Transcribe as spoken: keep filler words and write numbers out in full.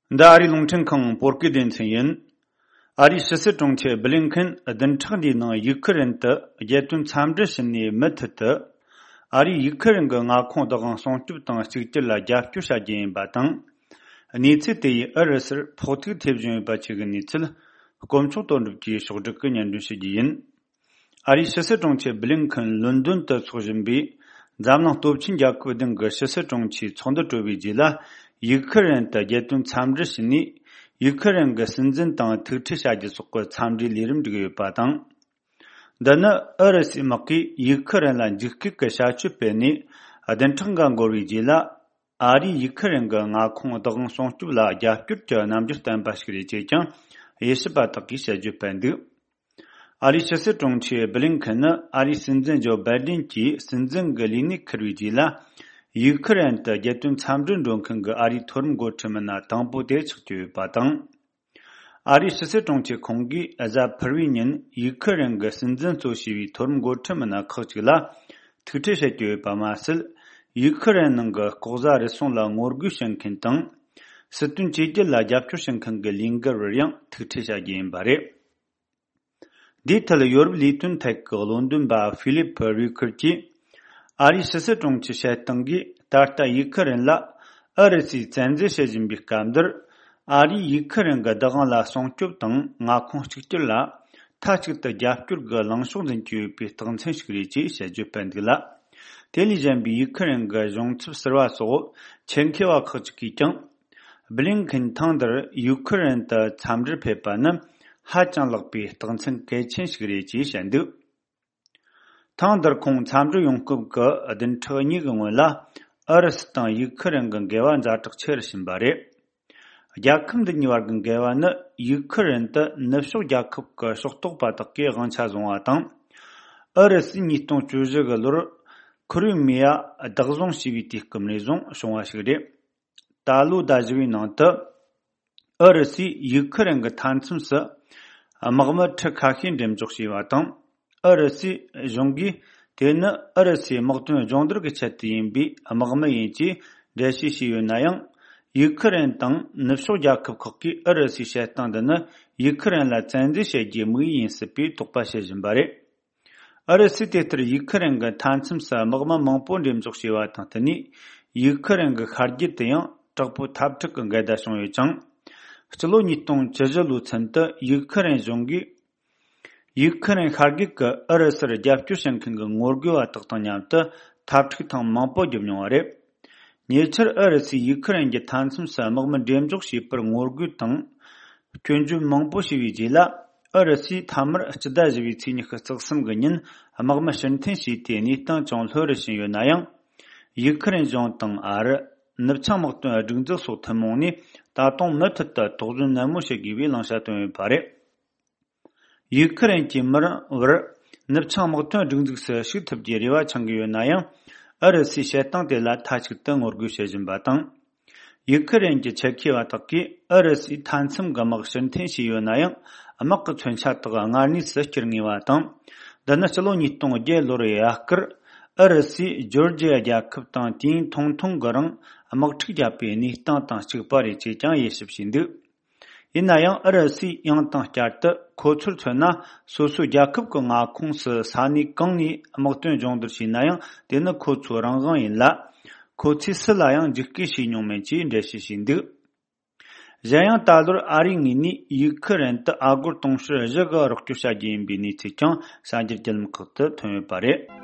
འདི་ཨ་རིའི་རླུང་འཕྲིན་ཁང་བོད་སྐད་སྡེ་ཚན་ཡིན། ཨ་རིའི་ཕྱི་སྲིད་དྲུང་ཆེ་བྷི་ལིན་ཁིན་བདུན་ཕྲག་འདིའི་ནང་ཡུག་ཁི་རན་དུ་རྒྱལ་དོན་འཚམས་འདྲི་ཞུ་ནས་མུ་མཐུད་དུ། ཨ་རིས་ཡུག་ཁི་རན་གྱི་མངའ་ཁོངས་བདག་དབང་སྲུང་སྐྱོབ་དང་གཅིག་གྱུར་ལ་རྒྱབ་སྐྱོར་བྱ་རྒྱུ་ཡིན་པ་དང་། གནས་ཚུལ་དེ་ཡིས་ཨུ་རུ་སུར་ཕོག་ཐུག་ཐེབས་བཞིན་ཡོད་པ་བཅས་ཀྱི་གནས་ཚུལ། དཀོན་མཆོག་དོན་གྲུབ་ཀྱིས་ཕྱོགས་བསྒྲིགས་ཀྱིས་སྙན་སྒྲོན་ཞུ་རྒྱུ་ཡིན། ཨ་རིའི་ཕྱི་སྲིད་དྲུང་ཆེ་བྷི་ལིན་ཁིན་ལོན་ཌོན་དུ་འཚོགས་བཞིན་པའི་འཛམ་གླིང་སྟོབས་ཆེན་རྒྱལ་ཁབ་བདུན་གྱི་ཕྱི་སྲིད་དྲུང་ཆེའི་ཚོགས་འདུ་གྲོལ་བའི་རྗེས་ལ། ཡུག་ཁི་རན་དུ་རྒྱལ་དོན་འཚམས་འདྲི་ཞུས་ནས། ཡུག་ཁི་རན་གྱི་སྲིད་འཛིན་དང་ཐུག་འཕྲད་བྱ་རྒྱུ་སོགས་ཀྱི་འཚམས་འདྲིའི་ལས་རིམ་བསྒྲིགས་ཡོད་པ་དང་། འདི་ནི་ཨུ་རུ་སུའི་དམག་གིས་ཡུག་ཁི་རན་ལ་འཇིགས་སྐུལ་གྱི་བྱ་སྤྱོད་སྤེལ་ནས་བདུན་ཕྲག་འགའ་འགོར་བའི་རྗེས་ལ། ཨ་རིས་ཡུག་ཁི་རན་གྱི་མངའ་ཁོངས་བདག་དབང་སྲུང་སྐྱོབ་ལ་རྒྱབ་སྐྱོར་གྱི་རྣམ་འགྱུར་བསྟན་པ་ཞིག་རེད་ཅེས་ཀྱང་དབྱེ་ཞིབ་པ་དག་གིས་དཔྱད་བརྗོད་སྤེལ་འདུག་ཨ་རིའི་ཕྱི་སྲིད་དྲུང་ཆེ་བྷི་ལིན་ཁིན་ནི་ཨ་རིའི་སྲིད་འཛིན་ཇོ་བྷའི་ཌེན་གྱིས་སྲིད་འཛིན་གྱི་ལས་གནས་འཁུར་བའི་རྗེས་ལ། ཡུག་ཁི་རན་དུ་རྒྱལ་དོན་འཚམས་འདྲིར་འགྲོ་མཁན་གྱི་ཨ་རིའི་མཐོ་རིམ་འགོ་ཁྲིད་མི་སྣ་དང་པོ་དེ་ཆགས་ཀྱི་ཡོད་པ་དང་། ཨ་རིའི་ཕྱི་སྲིད་དྲུང་ཆེ་ཁོང་གིས་གཟའ་ཕུར་བུའི་ཉིན་ཡུག་ཁི་རན་གྱི་སྲིད་འཛིན་གཙོ་བྱས་པའི་མཐོ་རིམ་འགོ་ཁྲིད་མི་སྣ་ཁག་ཅིག་ལ་ཐུག་འཕྲད་བྱེད་ཀྱི་ཡོད་པ་མ་ཟད། ཡུག་ཁི་རན་ནང་གི་ལྐོག་ཟ་རུལ་སུངས་ལ་ངོ་རྒོལ་བྱེད་མཁན་དང་། སྲིད་དོན་བཅོས་བསྒྱུར་ལ་རྒྱབ་སྐྱོར་བྱེད་མཁན་གྱི་ལས་འགུལ་བར་ཡང་ཐུག་འཕྲད་བྱ་རྒྱུ་ཡིན་པ་རེད། འདིའི་ཐད་ཡོ་རོབ་ལས་དོན་ཐད་ཀྱི་བློ་འདོན་པ་ཧྥི་ལིབ་རུ་ཁར་གྱིས། ཨ་རིའི་ཕྱི་སྲིད་དྲུང་ཆེའི་བཤད་སྟངས་ཀྱིས་ད་ལྟ་ཡུག་ཁི་རན་ལ་ཨུ་རུ་སུས་བཙན་འཛུལ་བྱེད་བཞིན་པའི་སྐབས་འདིར། ཨ་རིས་ཡུག་ཁི་རན་གྱི་བདག་དབང་ལ་སྲུང་སྐྱོབ་དང་མངའ་ཁོངས་གཅིག་གྱུར་ལ་མཐའ་གཅིག་ཏུ་རྒྱབ་སྐྱོར་གྱི་ལངས་ཕྱོགས་འཛིན་གྱི་ཡོད་པའི་རྟགས་མཚན་ཞིག་རེད་ཅེས་དཔྱད་བརྗོད་སྤེལ་འདུག་ལ། དེ་ལས་གཞན་པའི་ཡུག་ཁི་རན་གྱི་གཞུང་ཚབ་ཟུར་པ་སོགས་ཆེད་མཁས་པ་ཁག་ཅིག་གིས་ཀྱང་། བྷི་ལིན་ཁིན་ཐེངས་འདིར་ཡུག་ཁི་རན་དུ་འཚམས་འདྲིར་ཕེབས་པ་ནི་ཧ་ཅང་ལེགས་པའི་རྟགས་མཚན་གལ་ཆེན་ཞིག་རེད་ཅེས་བཤད་འདུག་ཐེངས་འདིར་ཁོང་འཚམས་འདྲིར་ཡོང་སྐབས་ཀྱི་བདུན་ཕྲག་གཉིས་ཀྱི་སྔོན་ལ། ཨུ་རུ་སུ་དང་ཡུག་ཁི་རན་གྱི་འགལ་བ་ཛ་དྲག་ཆེ་རུ་ཕྱིན་པ་རེད། རྒྱལ་ཁབ་འདི་གཉིས་བར་གྱི་འགལ་བ་ནི་ཡུག་ཁི་རན་དུ་ནུབ་ཕྱོགས་རྒྱལ་ཁབ་ཀྱི་ཕྱོགས་གཏོགས་པ་དག་གིས་དབང་ཆ་བཟུང་བ་དང་། ཨུ་རུ་སུས་ཉིས་སྟོང་བཅུ་བཞི་གི་ལོར་ཁུ་རི་མི་ཡ་བདག་བཟུང་བྱས་པའི་དུས་སྐབས་ནས་བཟུང་བྱུང་བ་ཞིག་རེད། ད་ལོའི་ཟླ་བཞི་བའི་ནང་དུ། ཨུ་རུ་སུས་ཡུག་ཁི་རན་གྱི་མཐའ་མཚམས་སུ་དམག་མི་ཁྲི་ཁ་ཤས་འགྲེམས་འཇོག་བྱས་པ་དང་། ཨུ་རུ་སུའི་གཞུང་གིས་དེ་ནི་ཨུ་རུ་སུའི་དམག་དོན་སྦྱོང་བརྡར་གྱི་ཆེད་དུ་ཡིན་པའི་དམག་མི་ཡིན་ཅེས་འགྲེལ་བཤད་བྱས་ཡོད་ན་ཡང་། ཡུག་ཁི་རན་དང་ནུབ་ཕྱོགས་རྒྱལ་ཁབ་ཁག་གིས་ཨུ་རུ་སུའི་བྱེད་སྟངས་འདི་ནི་ཡུག་ཁི་རན་ལ་བཙན་འཛུལ་བྱེད་རྒྱུའི་དམིགས་ཡུལ་ཡིན་སྲིད་པའི་དོགས་པ་བྱེད་བཞིན་པ་རེད། ཨུ་རུ་སུས་དེ་ལྟར་ཡུག་ཁི་རན་གྱི་མཐའ་མཚམས་སུ་དམག་མི་མང་པོ་འགྲེམས་འཇོག་བྱས་པ་དང་བསྟུན་ནས། ཡུག་ཁི་རན་གྱི་ཤར་རྒྱུད་དུ་ཡང་དྲག་པོའི་འཐབ་འཁྲུག་གི་འགལ་ཟླ་བྱུང་ཡོད་ཅིང་། སྤྱི་ལོ་ཉིས་སྟོང་བཅུ་བཞི་ལོའི་ཚུན་དུ་ཡུག་ཁི་རན་གཞུང་གིས། ཡུག་ཁི་རན་ཤར་རྒྱུད་ཀྱི་ཨུ་རུ་སུར་རྒྱབ་སྐྱོར་བྱེད་མཁན་གྱི་ངོ་རྒོལ་བ་དག་དང་མཉམ་དུ་འཐབ་འཁྲུག་ཐེངས་མང་པོ་བརྒྱབ་མྱོང་བ་རེད། ཉེ་ཆར་ཨུ་རུ་སུས་ཡུག་ཁི་རན་གྱི་མཐའ་མཚམས་སུ་དམག་མི་འགྲེམས་འཇོག་བྱས་པར་ངོ་རྒོལ་དང་། སྐྱོན་བརྗོད་མང་པོ་བྱས་པའི་རྗེས་ལ། ཨུ་རུ་སུས་མཐའ་མར་སྤྱི་ཟླ་བཞི་པའི་ཚེས་ཉི་ཤུ་རྩ་གསུམ་གྱི་ཉིན་དམག་མི་ཕྱིར་འཐེན་བྱས་ཏེ་གནས་སྟངས་ཅུང་ལྷོད་རུ་ཕྱིན་ཡོད་ན་ཡང་། ཡུག་ཁི་རན་གཞུང་དང་ཨ་རི། ནུབ་བྱང་དམག་དོན་སྒྲིག་འཛུགས་སོགས་ཐུན་མོང་ནས་ད་དུང་མུ་མཐུད་དུ་དོགས་ཟོན་ནན་མོ་བྱེད་དགོས་པའི་བླང་བྱ་བཏོན་ཡོད་པ་རེད། ཡུག་ཁི་རན་གྱི་མི་རང་བར་ནུབ་བྱང་དམག་དོན་སྒྲིག་འཛུགས་སུ་ཞུགས་ཐུབ་རྒྱུའི་རེ་བ་འཆང་གི་ཡོད་ན་ཡང་། ཨུ་རུ་སུའི་བྱེད་སྟངས་དེ་ལ་མཐའ་གཅིག་ཏུ་ངོ་རྒོལ་བྱེད་བཞིན་པ་དང་། ཡུག་ཁི་རན་གྱི་ཆེད་མཁས་པ་དག་གིས་ཨུ་རུ་སུའི་མཐའ་མཚམས་ཀྱི་དམག་ཕྱིར་འཐེན་བྱས་ཡོད་ན་ཡང་། དམག་གི་མཚོན་ཆ་དག་སྔར་གནས་སུ་བསྐྱུར་ངེས་པ་དང་། འདི་ནི་ཕྱི་ལོ་ཉིས་སྟོང་བརྒྱད་ལོར་ཡ་སྐུར་ཨུ་རུ་སུས་ཇོར་ཇི་ཡ་རྒྱལ་ཁབ་དང་དུས་ཡུན་ཐུང་ཐུང་གི་རིང་དམག་འཁྲུག་བརྒྱབ་པའི་གནས་སྟངས་དང་གཅིག་པ་རེད་ཅེས་ཀྱང་དབྱེ་ཞིབ་བྱས་འདུག་ཡིན་ན་ཡང་ཨུ་རུ་སུས་ཡང་དང་བསྐྱར་དུ་ཁོ་ཚོར་མཚོན་ན་སོ་སོའི་རྒྱལ་ཁབ་ཀྱི་མངའ་ཁོངས་སུ་ས་གནས་གང་ནས་དམག་དོན་སྦྱོང་བརྡར་བྱས་ན་ཡང་དེ་ནི་ཁོ་ཚོའི་རང་དབང་ཡིན་ལ། ཁོ་ཚོས་སུ་ལ་ཡང་འཇིགས་སྐུལ་བྱས་མྱོང་མེད་ཅེས་འགྲེལ་བཤད་བྱས་འདུག་གཞན་ཡང་ད་ལོར་ཨ་རིའི་ངོས་ནས་ཡུག་ཁི་རན་དུ་ཨ་སྒོར་དུང་ཕྱུར་བཞི་གི་རོགས་སྐྱོར་བྱ་རྒྱུ་ཡིན་པའི་གནས་ཚུལ་ཀྱང་གསར་འགྱུར་བརྒྱུད་ལམ་ཁག་ཏུ་ཐོན་ཡོད་པ་རེད།